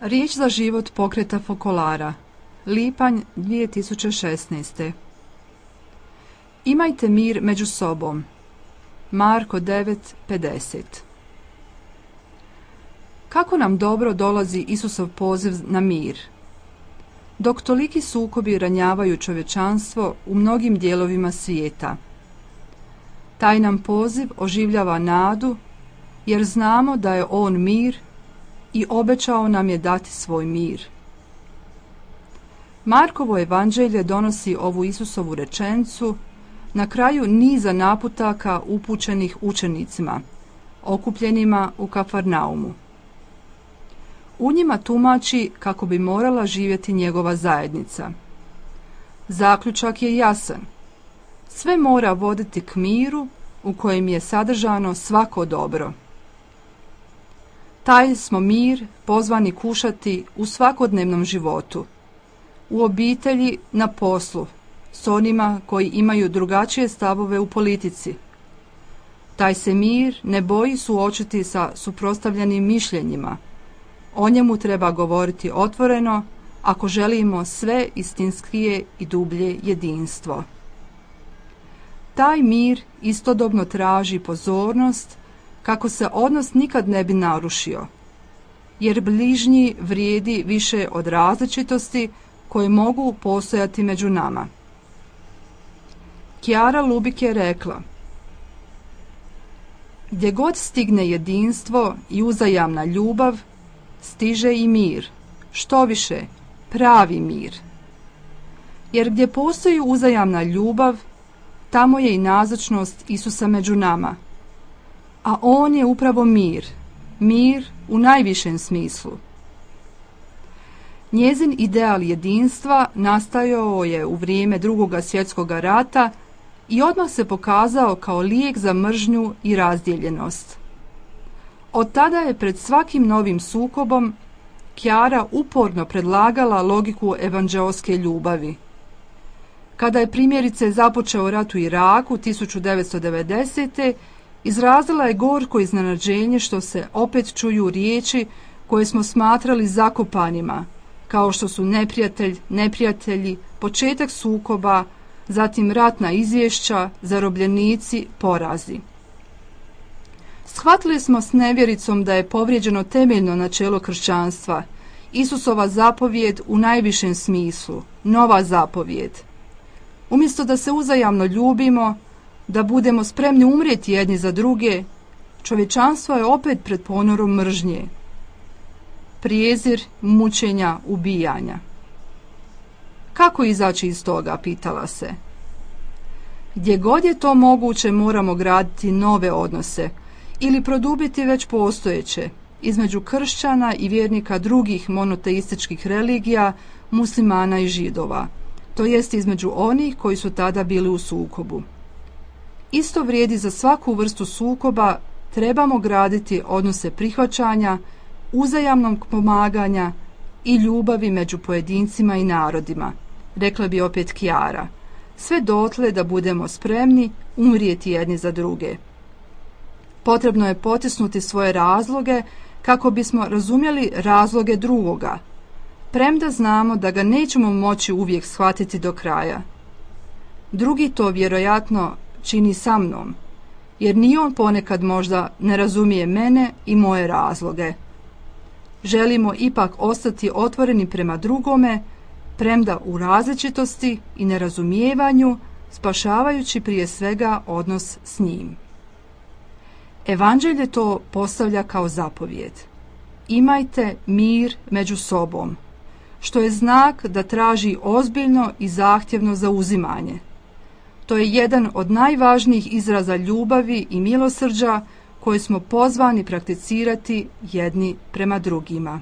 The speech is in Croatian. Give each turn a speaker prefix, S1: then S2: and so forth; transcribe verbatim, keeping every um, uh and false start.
S1: Riječ za život pokreta Fokolara, lipanj dvije tisuće šesnaeste. Imajte mir među sobom. Marko devet pedeset. Kako nam dobro dolazi Isusov poziv na mir. Dok toliki sukobi ranjavaju čovječanstvo u mnogim dijelovima svijeta. Taj nam poziv oživljava nadu, jer znamo da je On mir i obećao nam je dati svoj mir. Markovo evanđelje donosi ovu Isusovu rečenicu na kraju niza naputaka upućenih učenicima, okupljenima u Kafarnaumu. U njima tumači kako bi morala živjeti njegova zajednica. Zaključak je jasan. Sve mora voditi k miru u kojem je sadržano svako dobro. Taj smo mir pozvani kušati u svakodnevnom životu, u obitelji, na poslu, s onima koji imaju drugačije stavove u politici. Taj se mir ne boji suočiti sa suprotstavljenim mišljenjima. O njemu treba govoriti otvoreno ako želimo sve istinskije i dublje jedinstvo. Taj mir istodobno traži pozornost kako se odnos nikad ne bi narušio, jer bližnji vrijedi više od različitosti koje mogu postojati među nama. Chiara Lubich je rekla: gdje god stigne jedinstvo i uzajamna ljubav, stiže i mir, štoviše, pravi mir. Jer gdje postoji uzajamna ljubav, tamo je i nazočnost Isusa među nama. A On je upravo mir, mir u najvišem smislu. Njezin ideal jedinstva nastajao je u vrijeme Drugoga svjetskog rata i odmah se pokazao kao lijek za mržnju i razdijeljenost. Od tada je pred svakim novim sukobom Chiara uporno predlagala logiku evanđeoske ljubavi. Kada je primjerice započeo rat u Iraku tisuću devetsto devedesete. izrazila je gorko iznenađenje što se opet čuju riječi koje smo smatrali zakopanima, kao što su neprijatelj, neprijatelji, početak sukoba, zatim ratna izvješća, zarobljenici, porazi. Shvatili smo s nevjericom da je povrijeđeno temeljno načelo kršćanstva, Isusova zapovjed u najvišem smislu, nova zapovjed. Umjesto da se uzajamno ljubimo, da budemo spremni umrijeti jedni za druge, čovječanstvo je opet pred ponorom mržnje. Prijezir, mučenja, ubijanja. Kako izaći iz toga, pitala se. Gdje god je to moguće moramo graditi nove odnose ili produbiti već postojeće između kršćana i vjernika drugih monoteističkih religija, muslimana i židova, to jest između onih koji su tada bili u sukobu. Isto vrijedi za svaku vrstu sukoba, trebamo graditi odnose prihvaćanja, uzajamnog pomaganja i ljubavi među pojedincima i narodima, rekla bi opet Chiara, sve dotle da budemo spremni umrijeti jedni za druge. Potrebno je potisnuti svoje razloge kako bismo razumjeli razloge drugoga, premda znamo da ga nećemo moći uvijek shvatiti do kraja. Drugi to vjerojatno čini sa mnom, jer ni on ponekad možda ne razumije mene i moje razloge. Želimo ipak ostati otvoreni prema drugome, premda u različitosti i nerazumijevanju, spašavajući prije svega odnos s njim. Evanđelje to postavlja kao zapovjed. Imajte mir među sobom, što je znak da traži ozbiljno i zahtjevno zauzimanje. To je jedan od najvažnijih izraza ljubavi i milosrđa koje smo pozvani prakticirati jedni prema drugima.